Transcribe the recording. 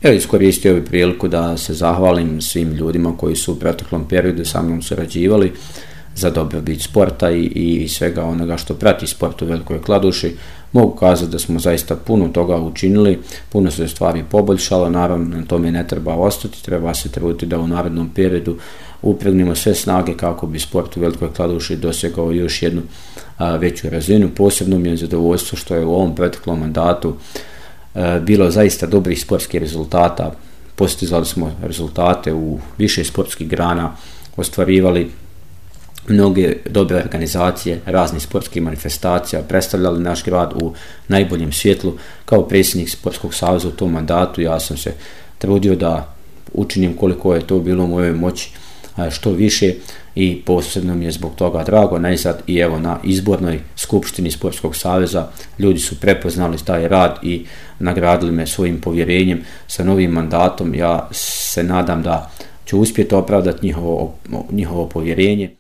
Evo, iskoristio bih priliku da se zahvalim svim ljudima koji su u proteklom periodu sa mnom surađivali za dobrobit sporta i svega onoga što prati sport u Velikoj Kladuši. Mogu kazati da smo zaista puno toga učinili, puno se stvari poboljšalo, naravno na tome ne treba ostati, treba se truditi da u narednom periodu upregnemo sve snage kako bi sport u Velikoj Kladuši dosegao još jednu veću razinu. Posebno mi je zadovoljstvo što je u ovom proteklom mandatu bilo zaista dobrih sportskih rezultata. Postizali smo rezultate u više sportskih grana, ostvarivali mnoge dobre organizacije, raznih sportskih manifestacija, predstavljali naš grad u najboljem svjetlu. Kao predsjednik Sportskog saveza u tom mandatu ja sam se trudio da učinim koliko je to bilo u mojoj moći što više i posebno mi je zbog toga drago. Najzad i evo na izbornoj skupštini Sportskog saveza ljudi su prepoznali taj rad i nagradili me svojim povjerenjem sa novim mandatom. Ja se nadam da ću uspjeti opravdati njihovo povjerenje.